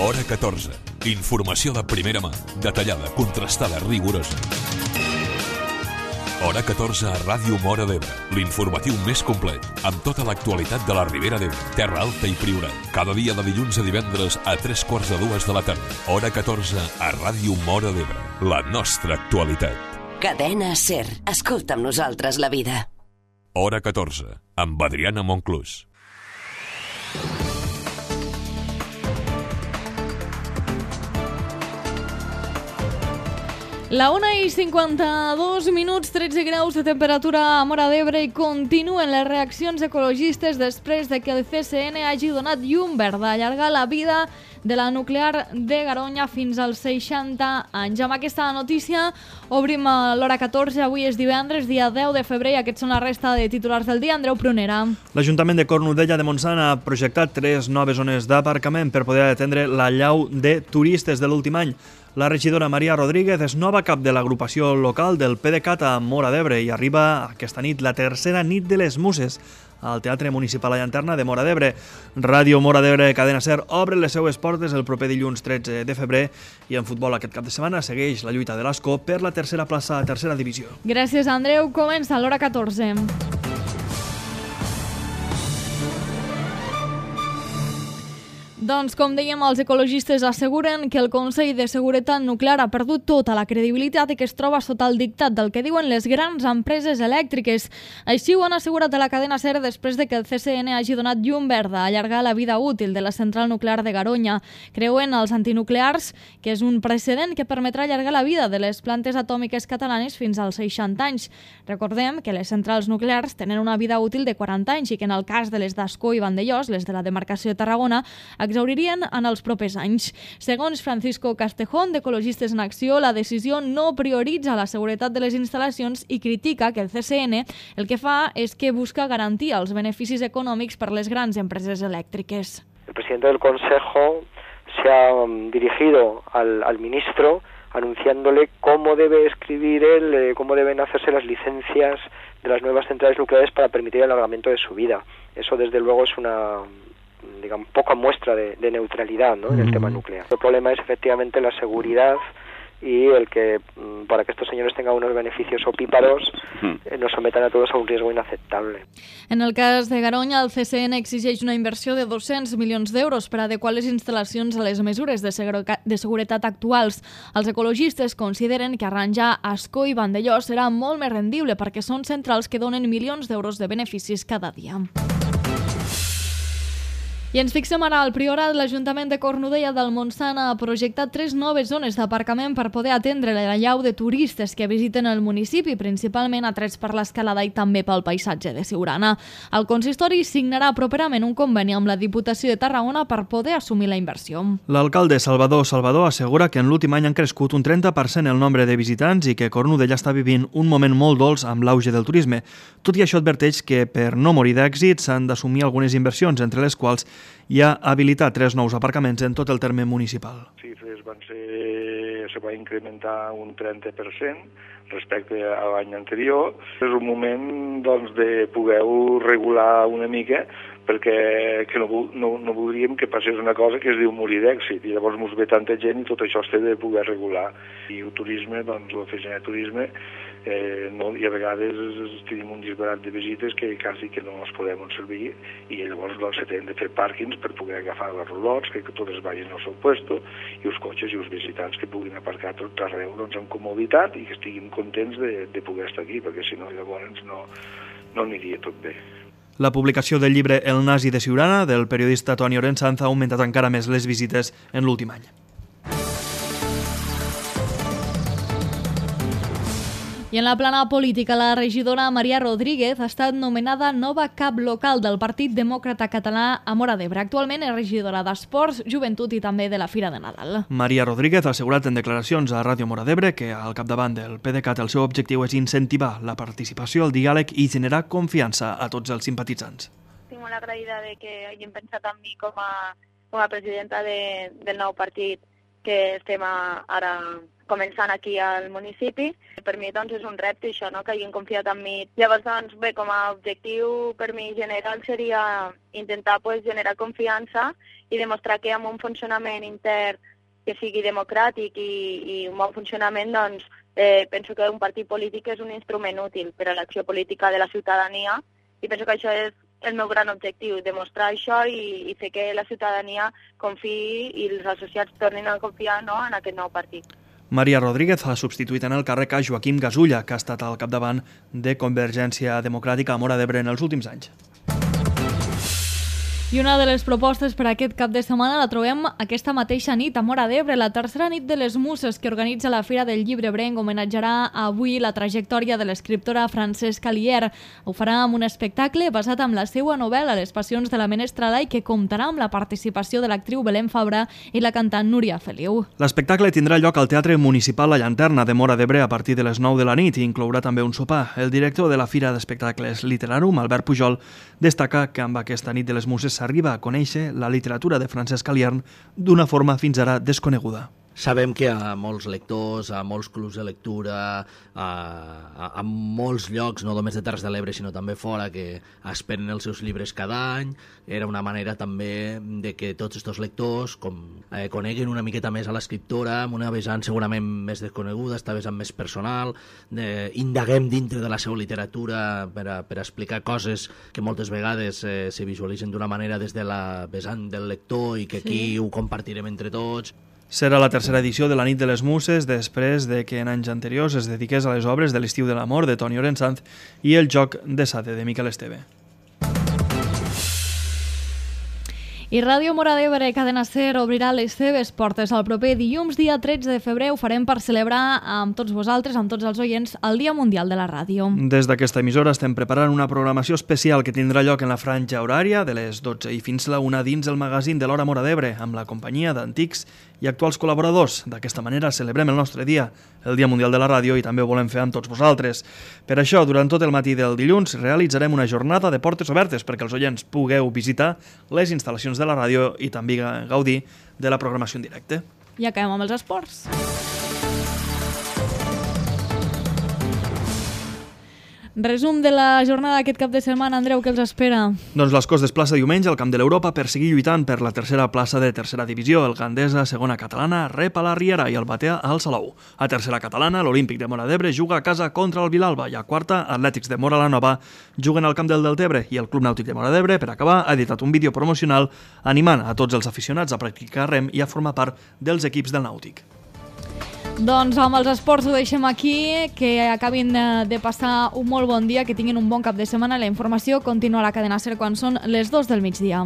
Hora 14. Informació de primera mà, detallada, contrastada, rigorosa. Hora 14 a Ràdio Móra d'Ebre, l'informatiu més complet, amb tota l'actualitat de la Ribera d'Ebre, Terra Alta i Priorat. Cada dia de dilluns a divendres a 3:45 de la tarda. Hora 14 a Ràdio Móra d'Ebre, la nostra actualitat. Cadena SER. Escolta amb nosaltres la vida. Hora 14, amb Adriana Monclús. La 1:52, 13 graus de temperatura a Móra d'Ebre i continuen les reaccions ecologistes després de que el CSN hagi donat llum verda a allargar la vida de la nuclear de Garoña fins als 60 anys. Amb aquesta notícia obrim l'hora 14. Avui és divendres, dia 10 de febrer, i aquests són la resta de titulars del dia. Andreu Prunera. L'Ajuntament de Cornudella de Montsant ha projectat 3 noves zones d'aparcament per poder atendre l'allau de turistes de l'últim any. La regidora Maria Rodríguez és nova cap de l'agrupació local del PDeCAT a Móra d'Ebre i arriba aquesta nit la tercera nit de les Muses al Teatre Municipal a Llanterna de Móra d'Ebre. Ràdio Móra d'Ebre Cadena SER obre les seues portes el proper dilluns 13 de febrer i en futbol aquest cap de setmana segueix la lluita de l'Ascó per la tercera plaça a tercera divisió. Gràcies, Andreu. Comença l'hora 14. Doncs, com dèiem, els ecologistes asseguren que el Consell de Seguretat Nuclear ha perdut tota la credibilitat i que es troba sota el dictat del que diuen les grans empreses elèctriques. Així ho han assegurat a la cadena SER després de que el CSN hagi donat llum verda a allargar la vida útil de la central nuclear de Garoña. Creuen els antinuclears que és un precedent que permetrà allargar la vida de les plantes atòmiques catalanes fins als 60 anys. Recordem que les centrals nuclears tenen una vida útil de 40 anys i que en el cas de les d'Ascó i Vandellós, les de la demarcació de Tarragona, exhauririen en els propers anys. Segons Francisco Castejón, d'Ecologistes en Acció, la decisió no prioritza la seguretat de les instal·lacions i critica que el CSN el que fa és que busca garantir els beneficis econòmics per les grans empreses elèctriques. El presidente del Consejo se ha dirigido al ministro anunciándole cómo debe escribir él, cómo deben hacerse las licencias de las nuevas centrales nucleares para permitir el alargamiento de su vida. Eso, desde luego, es una poca muestra de neutralidad, ¿no?, en el tema nuclear. El problema es efectivamente la seguridad y el que, para que estos señores tengan unos beneficios opíparos, nos sometan a todos a un riesgo inaceptable. En el cas de Garoña, el CSN exigeix una inversió de 200 milions d'euros per adequar les instal·lacions a les mesures de seguretat actuals. Els ecologistes consideren que arranjar Ascó i Vandellós serà molt més rendible perquè són centrals que donen milions d'euros de beneficis cada dia. I ens fixem ara al Priorat. L'Ajuntament de Cornudella del Montsant ha projectat 3 noves zones d'aparcament per poder atendre l'allau de turistes que visiten el municipi, principalment atrets per l'escalada i també pel paisatge de Siurana. El consistori signarà properament un conveni amb la Diputació de Tarragona per poder assumir la inversió. L'alcalde Salvador assegura que en l'últim any han crescut un 30% el nombre de visitants i que Cornudella està vivint un moment molt dolç amb l'auge del turisme. Tot i això adverteix que per no morir d'èxit s'han d'assumir algunes inversions, entre les quals hi ha habilitat 3 nous aparcaments en tot el terme municipal. Sí, se va incrementar un 30% respecte a l'any anterior. És un moment, doncs, de poder-ho regular una mica perquè no voldríem que passés una cosa que es diu morir d'èxit i llavors ens ve tanta gent i tot això es té de poder regular. I el turisme, doncs l'oficina de turisme, i a vegades tenim un disbarat de visites que quasi que no els podem servir i llavors se tenen de fer pàrquings per poder agafar els rolots, que totes vagin al seu puesto, i els cotxes i els visitants que puguin aparcar tot arreu amb comoditat i que estiguin contents de poder estar aquí, perquè si no llavors no aniria tot bé. La publicació del llibre El nazi de Siurana, del periodista Toni Orensanz, ha augmentat encara més les visites en l'últim any. I en la plana política, la regidora Maria Rodríguez ha estat nomenada nova cap local del Partit Demòcrata Català a Móra d'Ebre. Actualment és regidora d'Esports, Joventut i també de la Fira de Nadal. Maria Rodríguez ha assegurat en declaracions a Ràdio Móra d'Ebre que al capdavant del PDeCAT el seu objectiu és incentivar la participació, el diàleg i generar confiança a tots els simpatitzants. Estic molt agraïda de que hagin pensat en mi com a presidenta del nou partit que estem ara començant aquí al municipi. Per mi doncs, és un repte això, no? Que hagin confiat en mi. Llavors, doncs, bé, com a objectiu per mi general seria intentar generar confiança i demostrar que amb un funcionament intern que sigui democràtic i un bon funcionament, doncs, penso que un partit polític és un instrument útil per a l'acció política de la ciutadania i penso que això és el meu gran objectiu, demostrar això i fer que la ciutadania confiï i els associats tornin a confiar, no, en aquest nou partit. Maria Rodríguez ha substituït en el càrrec a Joaquim Gasulla, que ha estat al capdavant de Convergència Democràtica a Móra d'Ebre en els últims anys. I una de les propostes per aquest cap de setmana la trobem aquesta mateixa nit a Móra d'Ebre. La tercera nit de les Muses que organitza la Fira del Llibre Ebrenc homenatjarà avui la trajectòria de l'escriptora Francesca Lier. Ho farà amb un espectacle basat en la seva novel·la Les passions de la menestrala i que comptarà amb la participació de l'actriu Belén Fabra i la cantant Núria Feliu. L'espectacle tindrà lloc al Teatre Municipal La Llanterna de Móra d'Ebre a partir de les 9 de la nit i inclourà també un sopar. El director de la Fira d'Espectacles Literarum, Albert Pujol, destaca que amb aquesta nit de les Muses s'arriba a conèixer la literatura de Francesca Lier d'una forma fins ara desconeguda. Sabem que a molts lectors, a molts clubs de lectura, a molts llocs, no només de Terres de l'Ebre, sinó també fora, que esperen els seus llibres cada any, era una manera també de que tots aquests lectors coneguen una miqueta més a l'escriptora, amb una vessant segurament més desconeguda, esta vessant més personal, indaguem dintre de la seva literatura per explicar coses que moltes vegades se visualitzen d'una manera des de la vessant del lector i que aquí ho compartirem entre tots. Serà la tercera edició de la Nit de les Muses després de que en anys anteriors es dediqués a les obres de l'Estiu de l'Amor de Toni Orensanz i El joc de Sade de Miquel Esteve. I Ràdio Móra d'Ebre, Cadena Ser, obrirà les seves portes el proper dilluns, dia 13 de febrer. Ho farem per celebrar amb tots vosaltres, amb tots els oients, el Dia Mundial de la Ràdio. Des d'aquesta emissora estem preparant una programació especial que tindrà lloc en la franja horària de les 12 i fins la 1 dins el magazín de l'Hora Móra d'Ebre, amb la companyia d'antics i actuals col·laboradors. D'aquesta manera celebrem el nostre dia, el Dia Mundial de la Ràdio, i també ho volem fer amb tots vosaltres. Per això, durant tot el matí del dilluns, realitzarem una jornada de portes obertes perquè els oients pugueu visitar les instal·lacions de la ràdio i també gaudir de la programació en directe. I acabem amb els esports. Resum de la jornada d'aquest cap de setmana, Andreu, què els espera? Doncs l'Escó es desplaça diumenge al Camp de l'Europa per seguir lluitant per la tercera plaça de tercera divisió. El Gandesa, segona catalana, rep a la Riera i el Batea al Salou. A tercera catalana, l'Olímpic de Móra d'Ebre juga a casa contra el Vilalba i a quarta, Atlètics de Móra la Nova juguen al Camp del Deltebre i el Club Nàutic de Móra d'Ebre, per acabar, ha editat un vídeo promocional animant a tots els aficionats a practicar rem i a formar part dels equips del Nàutic. Doncs amb els esports ho deixem aquí, que acabin de passar un molt bon dia, que tinguin un bon cap de setmana. La informació continua a la Cadena Ser quan són les 2 del migdia.